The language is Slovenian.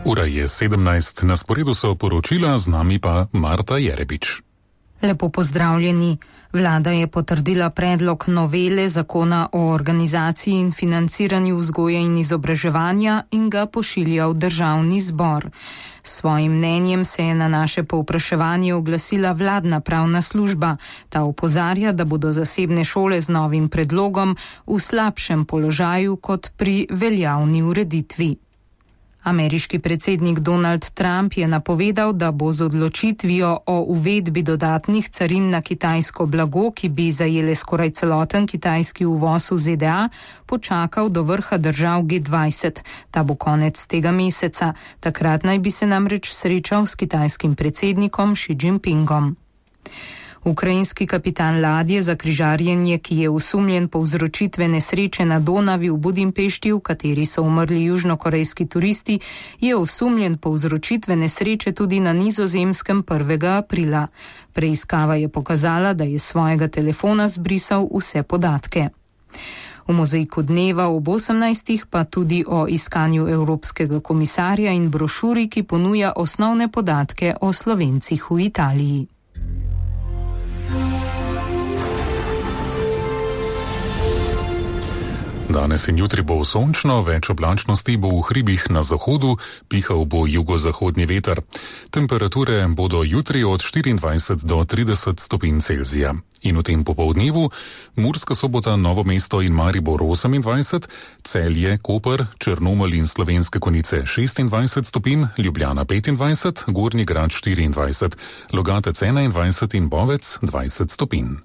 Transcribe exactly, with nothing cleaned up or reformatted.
Ura je sedemnajst, na sporedu so poročila, z nami pa Marta Jerebič. Lepo pozdravljeni. Vlada je potrdila predlog novele zakona o organizaciji in financiranju vzgoje in izobraževanja in ga pošilja v državni zbor. S svojim mnenjem se je na naše povpraševanje oglasila vladna pravna služba. Ta opozarja, da bodo zasebne šole z novim predlogom v slabšem položaju kot pri veljavni ureditvi. Ameriški predsednik Donald Trump je napovedal, da bo z odločitvijo o uvedbi dodatnih carin na kitajsko blago, ki bi zajele skoraj celoten kitajski uvoz v Z D A, počakal do vrha držav G dvajset. Ta bo konec tega meseca. Takrat naj bi se namreč srečal s kitajskim predsednikom Xi Jinpingom. Ukrajinski kapitan ladje za križarjenje, ki je osumljen povzročitve nesreče na Donavi v Budimpešti, v kateri so umrli južnokorejski turisti, je osumljen povzročitve nesreče tudi na Nizozemskem prvega aprila. Preiskava je pokazala, da je s svojega telefona zbrisal vse podatke. V mozaiku dneva ob osemnajstih pa tudi o iskanju evropskega komisarja in brošuri, ki ponuja osnovne podatke o Slovencih v Italiji. Danes in jutri bo sončno, več oblačnosti bo v hribih na zahodu, pihal bo jugozahodni veter. Temperature bodo jutri od štiriindvajset do trideset stopinj Celzija. In v tem popoldnevu Murska Sobota, Novo mesto in Maribor osemindvajset, Celje, Koper, Črnomelj in Slovenske Konjice šestindvajset stopinj, Ljubljana petindvajset, Gornji Grad štiriindvajset, Logatec enaindvajset in Bovec dvajset stopinj.